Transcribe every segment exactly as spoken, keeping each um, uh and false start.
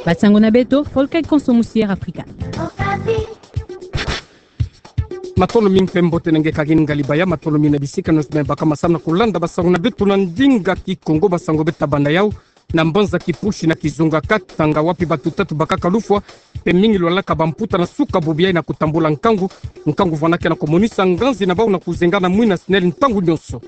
Basango na beto, folklore konso musiere Afrika. Matondo mingi mpe mbote na nge kagini ngali baya, matondo mingi na bisika nyonso me baka masamu na kulanda basango na beto na ndinga Kikongo. Basango beto tabanda yau na mbanza Kipushi na kizunga Katanga, wapi batu tatu bakaka lufwa, mpe mingi lwalaka bamputa na suka bubu yayi na kutambula nkangu, nkangu vwanaka na kumonisa nganzi na bau na kuzenga na mwina SNEL ntangu nyonso.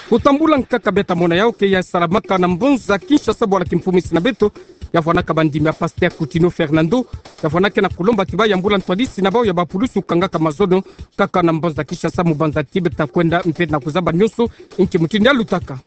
Kutambula nkaka beto tamona yau ke ya salamaka na mbanza Kinshasa, bwala kimfumu isi na beto, ya vwanaka bandimi ya Pasteur Coutinho Fernando, ya vwanaka na kulomba ti bayambula ntwadisi na bau ya bapulusu kangaka mazono, kaka na mbanza Kinshasa, mu banza ti beto takwenda mpe na kuzaba nyonso inki mutindu ya lutaka.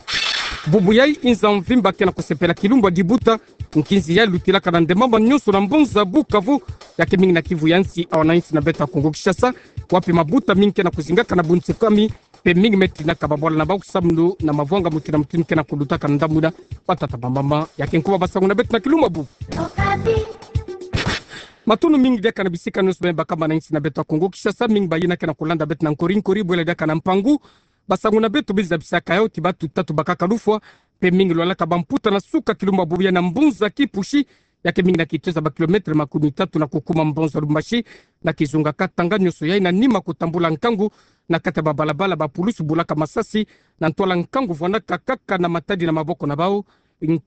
Bubu yayi inza mvimba ke na kusepela kilumbu ya dibuta, nkinzi ya lutilaka na nde mama nyonso na mbanza Bukavu, ya ke mingi na Kivu ya nsi, awa na insi na beto ya Kongo Kinshasa, wapi mabuta mingi ke na kuzingaka na bunsekami, mpe mingi me tinaka babwala na bau kusamunu na mavwanga mutindu na mutindu ke na kulutaka na ndambu na batata bamama. Ya ke nkumbu ya basango na beto na kilumbu bubu. Matondo mingi diaka na bisika nyonso me baka mana insi na beto ya Kongo Kinshasa, mingi bayina ke na kulanda beto na nkori-nkori, bwela diaka na mpangu. Basango na beto beno zabisaka yau ti batu tatu bakaka lufwa, mpe mingi lwalaka bamputa na suka kilumbu bubu yayi na mbanza Kipushi, ya ke mingi na kitoza ba kilomètre makumi tatu na kukuma mbanza Lubumbashi, na kizunga Katanga nyonso yayi na nima kutambula nkangu, na kati ya babalabala bapulusu bulaka masasi, na ntwala nkangu vwanaka kaka na matadi na maboko na bau,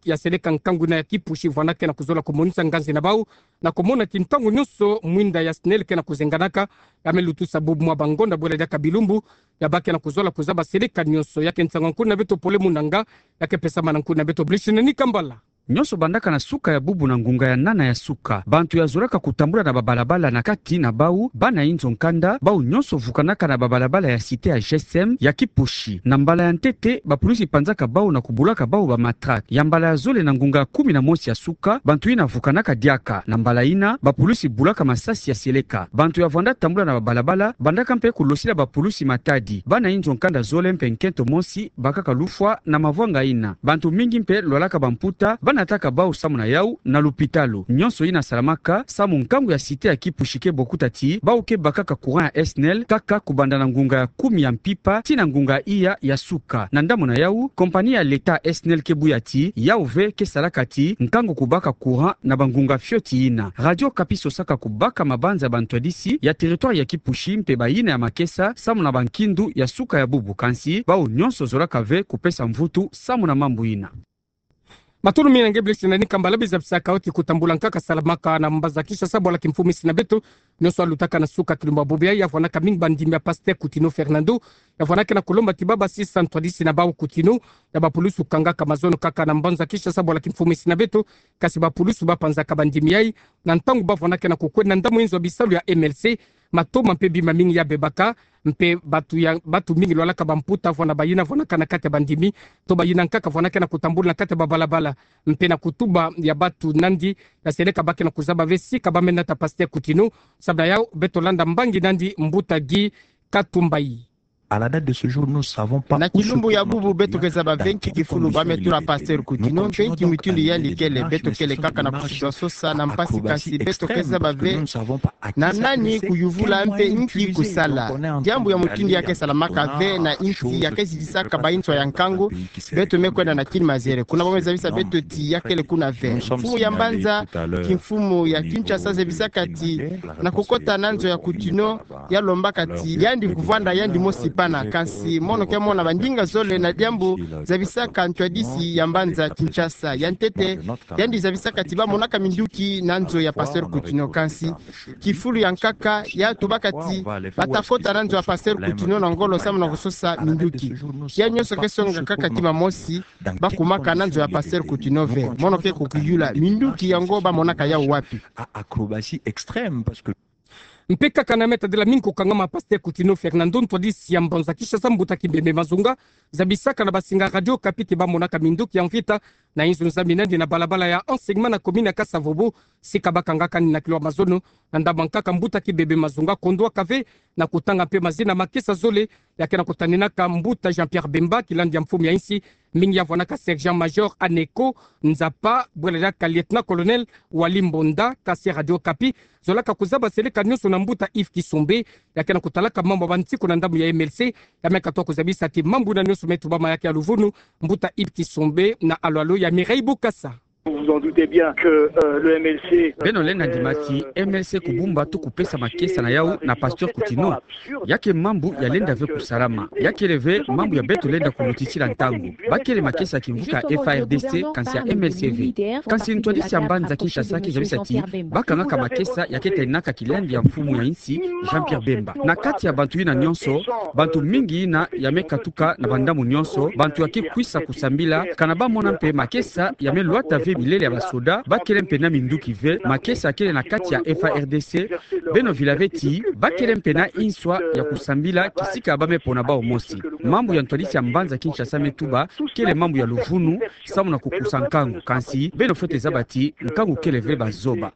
ya seleka nkangu ina ya Kipushi vwanaka na kuzola kumonisa nganzi na bau, na kumona ti ntangu nyonso mwinda ya SNEL ke na kuzenganaka, ya me lutusa bubu mwa bangonda bwela diaka bilumbu, ya bake na kuzola kuzaba seleka nyonso. Ya ke nsangu ya nkuni na beto Pole Munanga, ya ke pesama na nkuni na beto Blishinani Kambala. Nyonso bandaka na suka ya bubu na ngunga ya nana ya suka. Bantu ya zolaka kutambula na babalabala na kati na bau, bana inzo nkanda, bau nyonso vukanaka na babalabala ya cité ya G S M, ya Kipushi. Na mbala ya ntete, bapulusi panzaka bau na kubulaka bau bamatraque. Ya mbala ya zole na ngunga ya kumi na mosi ya suka, bantu ina vukanaka diaka. Na mbala ina, bapulusi bulaka masasi ya seleka. Bantu ya vwanda tambula na babalabala, bandaka mpe kulosila bapulusi matadi. Bana inzo nkanda zole mpe nkento mosi, bakaka lufwa na mavwanga ina. Bantu mingi mpe lwalaka bamputa, banataka bau samu na yau na lupitalu. Nyonso ina salamaka, samu nkangu ya cité ya Kipushi ke bokuta ti, bau ke bakaka courant ya SNEL, kaka kubanda na ngunga ya kumi ya mpimpa, tii na ngunga ya iya ya suka. Na ndambu na yau, compagnie ya l'État SNEL ke buya ti, yau ve ke salaka ti, nkangu kubaka courant na bangunga fioti ina. Radio Okapi sosaka kubaka mabanza ya bantwadisi ya territoire ya Kipushi mpe bayina ya makesa, samu na bankindu ya suka ya bubu, kansi bau nyonso zolaka ve kupesa mvutu samu na mambu ina. Matondo mingi na nge Blishinani Kambala. Beno zabisaka yau ti kutambula nkaka salamaka na mbanza Kinshasa, bwala kimfumu isi na beto, nyonso ya lutaka na suka kilumbu bubu yayi, ya vwanaka mingi bandimi ya Pasteur Coutinho Fernando, ya vwanaka na kulomba ti babasisa ntwadisi na bau Coutinho, ya bapulusu kangaka mazono kaka na mbanza Kinshasa, bwala kimfumu isi na beto, kansi bapulusu bapanzaka bandimi yayi, na ntangu bavwanaka na kukwenda na ndambu inzo ya bisalu ya M L C, matoma mpe bima mingi ya bebaka, mpe batu ya, batu mingi lwalaka bamputa vwanda bayina vwanaka na kati ya bandimi, to bayina nkaka vwanaka na kutambula na kati ya babalabala, mpe na kutuba ya batu nandi, ya seleka bake na kuzaba ve sika ba me nata Pasteur Coutinho. Samu na yau, beto landa mbangi nandi mbuta Guy Katumbayi. Na kilumbu ya bubu beto ke zaba ve nki kifulu ba me tula Pasteur Coutinho, mpe nki mutindu yandi kele. Beto kele kaka na kusiba sosa na mpasi, kansi beto ke zaba ve na nani kuyuvula mpe nki kusala. Diambu ya mutindu ya ke salamaka ve na insi ya ke zidisaka bansoni ya nkangu, beto me kwenda na kini mazere. Kuna ba me zabisa beto ti ya kele kuna ve. Mfumu ya mbanza kimfumu ya Kinshasa zabisaka ti na kukota na nzo ya Coutinho, ya lombaka ti yandi kuvwanda yandi mosi pana, kansi mono ke mona bandinga zole na diambu zabisaka ntwadisi ya mbanza Kinshasa. Ya ntete, yandi zabisaka ti ba monaka minduki na nzo ya Pasteur Coutinho, kansi kifulu ya nkaka ya tubaka ti bata kota na nzo ya Pasteur Coutinho na ngolo samu na kusosa minduki. Ya nyonso ke songa kaka ti mamosi, ba kumaka na nzo ya Pasteur Coutinho ve. Mono ke kukiyula minduki yango ba monaka yau wapi? Mpe kaka na meta de la mingi kukangama Pasteur Coutinho Fernando, ntwadisi ya mbanza Kinshasa, mbuta Kibembe Mazunga, zabisaka na basinga Radio Okapi ti ba monaka minduki ya mvita na inzo nzambi nandi na balabala ya enseignement na commune ya Kasa-Vubu, sika ba kangaka nina kilwa mazono. Na ndambu ya nkaka, mbuta Kibembe Mazunga kondwaka ve na kutanga mpe mazina makesa zole ya ke na kutaninaka mbuta Jean-Pierre Bemba, kilandi ya mfumu ya insi, mingi ya vwanaka sergent-major Aneko Nzapa, bwela diaka lieutenant-colonel Wally Mbonda. Kasi Radio Okapi zolaka kuzaba seleka nyonso na mbuta Yves Kisombe, ya ke na kutalaka mambu ya bansiku na ndambu ya M L C, ya me katuka kuzabisa ti mambu na nyonso me tubama ya ke ya luvunu, mbuta Yves Kisombe na alo-alo ya Mireille Bukasa. Vous en doutez bien que, euh, le M L C, euh, Beno lenda ndima ti M L C kubumba to kupesa makesa na yau na Pasteur Coutinho. Ya ke mambu yalenda ve kusalama. Ya kele ve mambu ya beto lenda kulutitila ntangu. Bakele makesa ya kimvuka ya F A R D C, kansi ya M L C ve. Kansi ntwadisi ya mbanza Kinshasa ke zabisa ti bakangaka makesa ya ke talinaka kilangi ya mfumu ya insi, Jean-Pierre Bemba. Na kati ya bantu yina nyonso, bantu mingi yina ya me katuka na bandambu nyonso, bantu ya ke kwisa kusambila, kana bamona mpe makesa ya me lwata ve bilele ya basoda, bakele mpe na minduki ve, makesa kele na kati ya F A R D C, beno vila ve ti bakele mpe na inswa ya kusambila kisika ba me pona bau mosi. Mambu ya ntwadisi ya mbanza Kinshasa me tuba, kele mambu ya luvunu, samu na kukusa nkangu, kansi beno fwete zaba ti nkangu kele ve bazoba.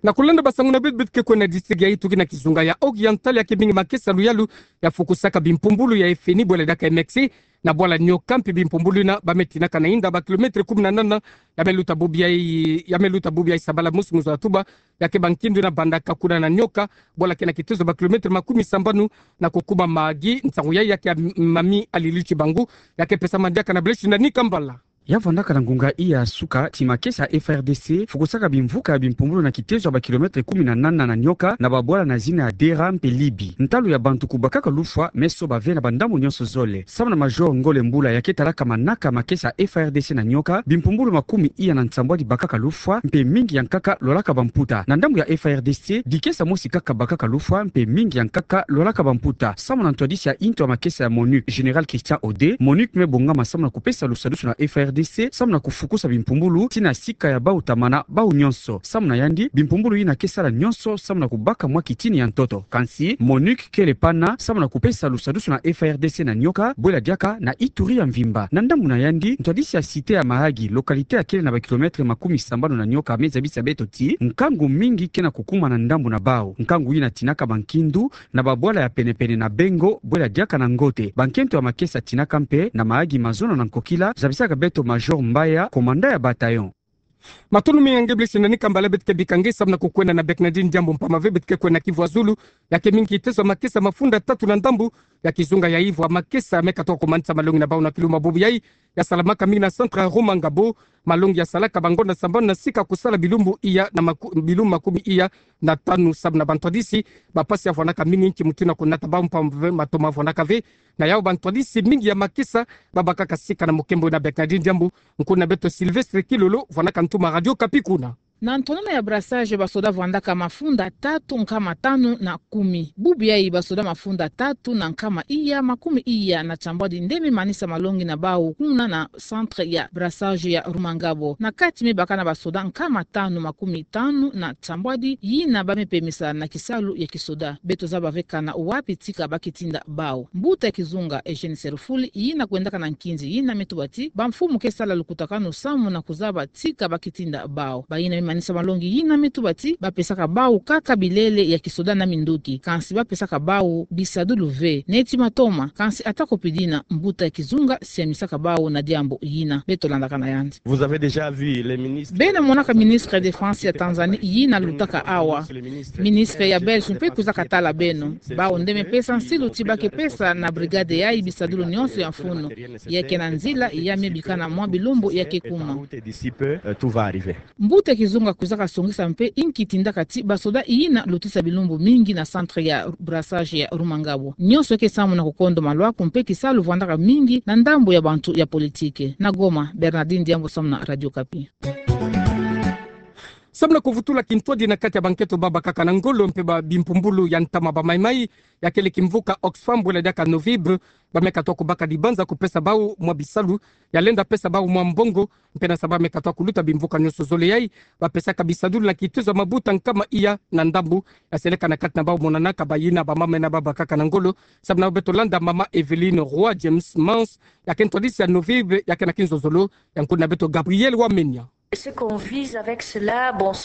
Na kulenda basangu na beto, beto ke kwenda district ya Ituri na kizunga ya Oriental, ya ke mingi makesa luyalu ya fukusaka bimpumbulu ya F N I bwela diaka M X C na bwala Nioka, mpe bimpumbulu yina ba me tinaka na inda ba kilomètre kumi na nana, ya me luta bubu yayi, ya me luta bubu yayi sabala mosi mwezi wa Oktoba, ya ke ba nkindu yina bandaka kuna na Nioka, bwala ke na kitezo ba kilomètre makumi sambanu na kukuma Mahagi. Nsangu yayi ya ke ya Mami Alili Tshibangu, ya ke pesama diaka na Blaise Nani Kambala. Ya vandaka na ngunga iya suka ti makesa ya F A R D C fukusaka bimvuka ya bimpumbulu na kitezo ya ba kilomètre kumi na nana na Nioka, na babwala na zina ya Dera mpe Libi. Ntalu ya bantu kubakaka lufwa me soba ve na bandambu nyonso zole. Samu na Major Ngole Mbula, ya ke talaka manaka makesa ya F A R D C na Nioka, bimpumbulu makumi iya na nsambwadi bakaka lufwa, mpe mingi ya nkaka lwalaka bamputa. Na ndambu ya F A R D C, dikesa mosi kaka bakaka lufwa, mpe mingi ya nkaka lwalaka bamputa. Samu na ntwadisi ya into ya makesa ya MONUC, Général Christian Ode, MONUC me bongama samu na kupesa lusadusu na F A R D C, samu na kufukusa bimpumbulu tii na sika ya bau tamana bau nyonso. Samu na yandi, bimpumbulu yina ke sala nyonso samu na kubaka mwa kitini ya ntoto. Kansi, MONUC kele pana samu na kupesa lusadusu na F A R D C na Nioka, bwela diaka na Ituri ya mvimba. Na ndambu na yandi, ntwadisi ya cité ya Mahagi, localité ya kele na ba kilomètre makumi sambanu na Nioka, me zabisa beto ti nkangu mingi ke na kukuma na ndambu na bau. Nkangu yina tinaka ba nkindu na babwala ya penepene na Bengo, bwela diaka na Ngote. Bankento ya makesa tinaka mpe na Mahagi, Mazono na Nkokila, zabisaka beto Major Mbaya, commandant ya bataillon. Matondo mingi nge Blaise Nani Kambala. Beto ke bika nge samu na kukwenda na Bernardine Diambu, mpamba ve beto ke kwenda Kivu ya Zulu, ya ke mingi kitezo ya makesa mafunda tatu na ndambu ya kizunga ya Ivwa. Makesa me katoka kumanisa malongi na bau na kilumbu bubu yayi, ya salamaka mingi na centre ya Rumangabo. Malongi ya salaka bangonda sambanu na sika kusala bilumbu iya na maku-, bilumbu makumi iya na tanu. Samu na bantwadisi, bapasi ya vwandaka mingi nki mutu na kunata bau, mpamba ve matoma vwandaka ve. Na yau bantwadisi mingi ya makesa babakaka sika. Na mukembo na Bernardine Diambu, nkuna beto Sylvestre Kilolo vwandaka ntuma Radio Okapi kuna. Na ntonona ya brassage, basoda vwandaka mafunda tatu, nkama tanu na kumi. Bubu yayi basoda mafunda tatu na nkama iya, makumi iya na tiambwadi nde me manisa malongi na bau kuna na centre ya brassage ya Rumangabo. Na kati me baka na basoda nkama tanu makumi tanu na tiambwadi yina ba me pemisa na kisalu ya kisoda. Beto zaba ve kana wapi tika ba ke tinda bau. Mbuta ya kizunga Eugène Serufuli, yina kwendaka na nkinzi yina, me tuba ti bamfumu ke sala lukutakanu samu na kuzaba tika ba ke tinda bau. Bayina me manisa malongi yina me tuba ti bapesaka bau kaka bilele ya kisoda na minduki, kansi bapesaka bau bisadulu ve, neti matoma. Kansi atako pidi yina, mbuta ya kizunga siamisaka bau na diambu yina. Beto landaka na yandi. Vous avez déjà vu les ministres. Beno monaka ministre ya défense ya Tanzanie yina lutaka awa. Ministre ya Belge mpe kwizaka tala beno. Bau nde me pesa nsilu ti ba ke pesa na brigade yayi bisadulu nyonso ya mfunu. Ya ke na nzila, ya me bika na mwa bilumbu ya ke kuma. D'ici peu, euh, tout va arriver. Mbuta ya kizunga kwizaka songisa mpe inki tindaka ti basoda yina lutisa bilumbu mingi na centre ya brassage ya Rumangabo. Nyonso ke samu na kukondo malwaku mpe kisalu vwandaka mingi na ndambu ya bantu ya politique. Na Goma, Bernardine Diambu samu na Radio Okapi. Samu na kuvutula kintwadi na kati ya bankento babakaka na ngolo mpe ba bimpumbulu ya ntama ba maimai, ya kele kimvuka Oxfam bwela diaka Novib, ba me katoka kubaka dibanza kupesa bau mwa bisalu, ya lenda pesa bau mwa mbongo, mpe na sa ba me katoka kuluta bimvuka nyonso zole yayi, bapesaka bisadulu na kitezo ya mabuta nkama iya na ndambu, ya seleka na kati na bau monanaka bayina bamama yina babakaka na ngolo. Samu na beto landa mama Evelyne Roy James Mans, ya ke ntwadisi ya Novib, ya ke na kinzozolo ya nkuna beto Gabriel Wamenya.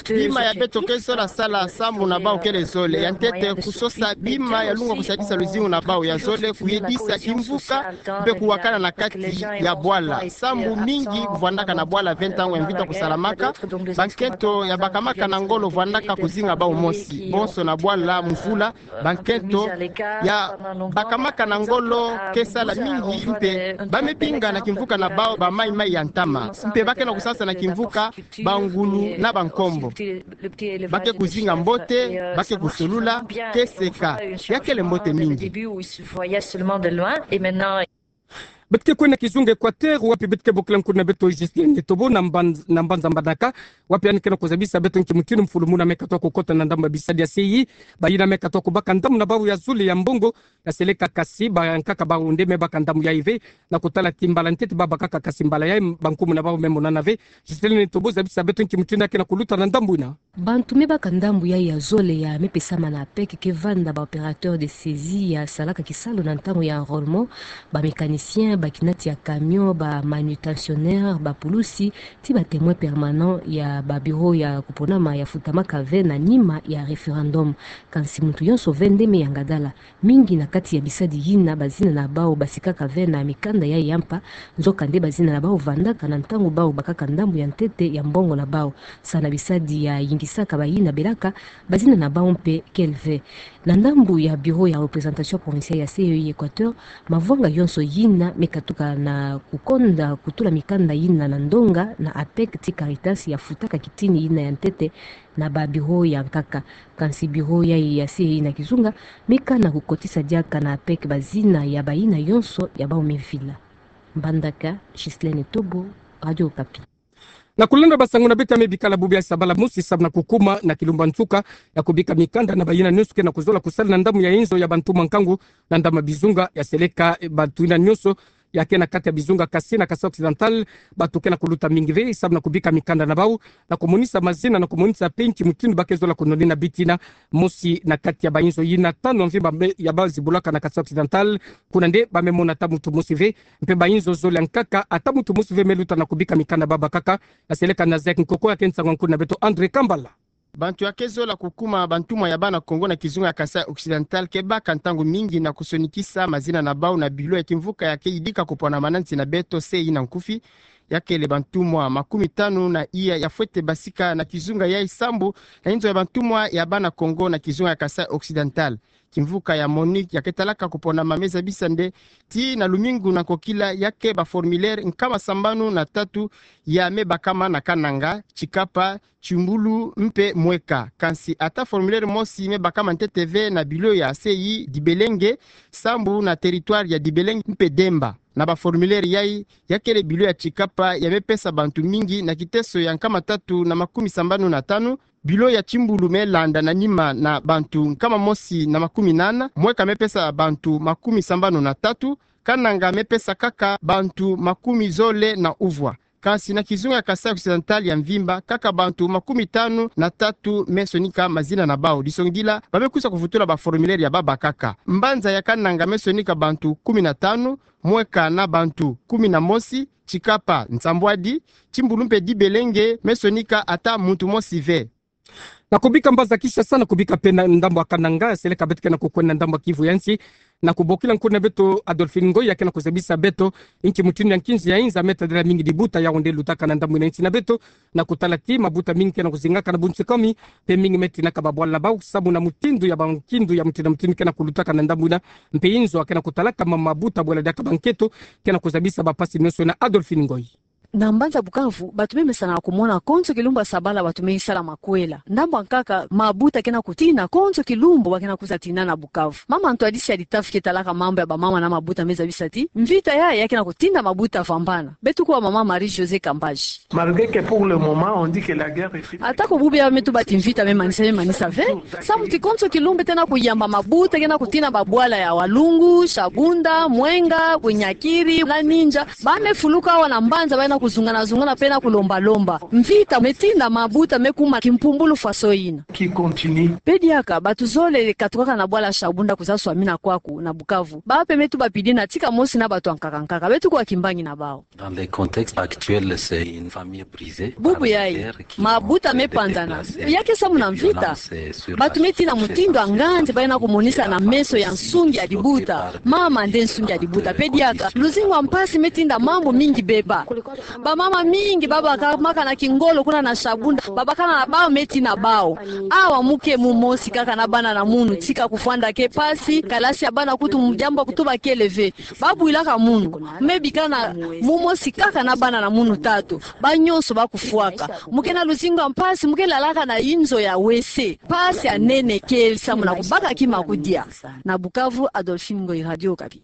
Bima ya beto ke zola sala sambu na bau kele zole, ya ntete kusosa bima ya lungwa kusadisa luzingu na bau ya zole, kuyedisa kimvuka mpe kuwakana na kati ya bwala. Sambu mingi vwandaka na bwala ve ntangu ya mvita kusalamaka, bankento ya bakamaka na ngolo vwandaka kuzinga bau mosi. Bonso na bwala mvula, bankento ya bakamaka na ngolo ke sala mingi mpe ba me binga na kimvuka na bau ba maimai ya ntama. Mpe ba ke na kusasa na kimvuka bangulu na bankombo. Ba ke kuzinga mbote, ba ke kusolula, ke seka. Ya kele mbote mingi. Beto ke kwenda kizunga Équateur, wapi beto ke bokila nkuna beto Justine Tobo na mban-, na mbanza Mbandaka, wapi yandi ke na kuzabisa beto nki mutindu mfulumuna me katuka kukota na ndambu ya bisadi ya seyi, bayina me katuka kubaka ndambu na bau ya zole ya mbongo, ya seleka kasi bankaka bau nde me baka ndambu yayi ve, na kutala ti mbala ntete ba bakaka kasi mbala yayi bankumu na bau me monana ve. Justine Tobo, zabisa beto nki mutindu ya ke na kuluta na ndambu yina. Bantu me baka ndambu yayi ya zole ya me pesama na APEC ke vanda ba opérateur de saisie ya salaka kisalu na ntangu ya enrôlement, ba mécanicien, ba kinati ya camion, ba manutentionnaire, ba pulusi, ti ba témoin permanent ya ba bureau ya kuponama ya futamaka ve na nima ya référendum. Kansi muntu yonso ve nde me yanga dala. Mingi na kati ya bisadi yina bazina na bau basikaka ve na mikanda yayi ya mpa, nzoka nde bazina na bau vandaka na ntangu bau bakaka ndambu ya ntete ya mbongo na bau. Sa na bisadi ya yingisaka bayina belaka, bazina na bau mpe kele ve. Na ndambu ya bureau ya représentation provinciale ya CEI Équateur, mavwanga yonso yina me katuka na kukonda kutula mikanda yina na ndonga na APEC ti Caritas ya futaka kitini yina ya ntete na ba bureau ya nkaka. Kansi bureau yayi ya CEI na kizunga, me kana kukotisa diaka na APEC bazina ya bayina yonso ya bau me vila. Mbandaka, Ghislaine Tobo, Radio Okapi. Na kulenda basangu na beto ya me bikala bubu ya sabala mosi samu na kukuma na kilumbu ya nsuka ya kubika mikanda na bayina nyonso ke na kuzola kusala na ndambu ya inzo ya bantumwa nkangu na ndambu ya bizunga ya seleka, eh, bantu yina nyonso ya ke na kati ya bizunga kasi na Kasaï Occidental, bantu ke na kuluta mingi ve samu na kubika mikanda na bau, na kumonisa mazina, na kumonisa mpe nki mutindu ba ke zola kunonina bitina, mosi na kati ya bainzo yina tanu ya mvimba me, ya ba zibulaka na Kasaï Occidental, kuna nde ba me mona ata muntu mosi ve, mpe bainzo zole ya nkaka, ata muntu mosi ve me luta na kubika mikanda ba bakaka, ya seleka na Zaïre Nkoko, ya ke nsangu ya nkuna beto André Kambala. Bantu ya ke zola kukuma bantumwa ya bana Kongo na kizunga ya Kasaï Occidental ke baka ntangu mingi na kusonikisa mazina na bau na bilo ya kimvuka ya ke yidika kupwanama na nsi na beto CEI na nkufi. Ya kele bantumwa makumi tanu na iya ya fwete basika na kizunga yayi sambu na inzo ya bantumwa ya bana Kongo na kizunga ya Kasaï Occidental. Kimvuka ya MONUC ya ke talaka kupwanama me zabisa nde ti na lumingu na nkokila ya ke ba formulaire nkama sambanu na tatu ya me bakama na Kananga, Tshikapa, Tshimbulu mpe Mweka. Kansi ata formulaire mosi me bakama ntete ve na bilo ya CEI Dibelenge, sambu na territoire ya Dibelenge mpe Demba. Na ba formulaire yayi, ya kele bilo ya Tshikapa ya me pesa bantu mingi na kiteso ya nkama tatu na makumi sambanu na tanu, bilo ya Tshimbulu me landa na nima na bantu nkama mosi na makumi nana, Mweka me pesa bantu makumi sambanu na tatu, Kananga me pesa kaka bantu makumi zole na uvwa. Kansi na kizunga ya Kasaï Occidental ya mvimba, kaka bantu makumi tanu na tatu me sonika mazina na bau. Disongidila, ba me kwisa kuvutula ba formulaire ya ba bakaka. Mbanza ya Kananga me sonika bantu kumi na tanu, Mweka na bantu kumi na mosi, Tshikapa nsambwadi, Tshimbulu mpe Dibelenge me sonika ata muntu mosi ve. Na kubika mbanza Kinshasa, na kubika mpe na ndambu ya Kananga, seleka beto ke na kukwenda na ndambu ya Kivu ya nsi, na kubokila nkuna beto Adolphine Ngoy, ya ke na kuzabisa beto inki mutindu ya nkinzi ya inza me tadila mingi dibuta ya onde lutaka na ndambu yina ya nsi na beto, na kutala ti mabuta mingi ke na kuzingaka na bunsikwami, mpe mingi me tinaka babwala na bau, sambu na mutindu ya bankindu ya mutindu na mutindu ke na kulutaka na ndambu yina, mpe inzo ya ke na kutalaka ma mabuta bwela diaka bankento, ke na kuzabisa bapasi nyonso yina. Adolphine Ngoy. Na mbanza Bukavu, bantu me mesana kumona konso kilumbu ya sabala bantu me sala makwela. Ndambu ya nkaka, mabuta ke na kutina konso kilumbu ba ke na kwiza tina na Bukavu. Mama Antoine Siadi Tafi ke talaka mambu ya bamama na mabuta me zabisa ti mvita yayi ya ke na kutinda mabuta vambana. Beto kuwa mama Marie-Josée Kambaji. Malgré que pour le moment, on dit que la guerre est finie. Ata ko bubu ya me tuba ti mvita me manisa, me manisa ve. Sambu ti konso kilumbu bete na kuyamba mabuta ke na kutina babwala ya Walungu, Shabunda, Mwenga, Bunyakiri, na Ninja. Ba me fuluka awa na mbanza, ba na kuzungana-zungana pe na kulomba-lomba. Mvita metinda mabuta mekuma kimpumbulu faso ina. Qui continue. Pe diaka, bato zole katukaka na bwala Shabunda kuzaswamina kwaku na Bukavu. Bape metuba pidina tika mosi na bato ankaka-nkaka. Beto kuwa kimbangi na bawu. Dans le contexte actuel, c'est une famille brisée. Bubu yayi, mabuta mepanzana. Ya ke samu na mvita. Bato metina mutindu a nganzi bayina kumonisa na meso ya nsungi ya dibuta. Mama nde nsungi ya dibuta. Pe diaka, luzingu a mpasi metinda mambu mingi beba. Bamama mingi babaka maka na kingolo kuna na Shabunda. Babakana na bawu metina bawu. Awa mu ke mu mosi kaka na bana na munu. Tika kufwanda ke mpasi, kalasi ya bana kutu mu diambu kutu bakele ve. Babwilaka munu, mebikana mu mosi kaka na bana na munu tatu, ba nyonso bakufwaka. Mu ke na luzingu a mpasi, mu ke lalaka na inzo ya wese. Mpasi ya nene kele samu na kubaka kima kudia. Na Bukavu, Adolphine Ngoyi, Radio Okapi.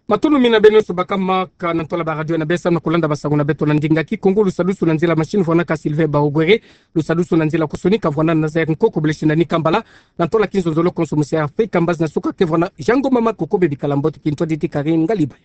Matondo mingi na beno nyonso bakamaka na ntola ba radio na besa na kulanda basango na beto na ndinga Kikongo. Lusadusu na nzila machine vwanaka Sylvain Baogwere. Lusadusu na nzila kusonika vwana Nazaire Nkoko Blessing na Nikambala. Na ntola kinzonzolo konso musi Afrika mbazi na suka ke vwana Jean Ngoma Makoko. Bebikala mbote, kintwadidi Karine Ngaliba.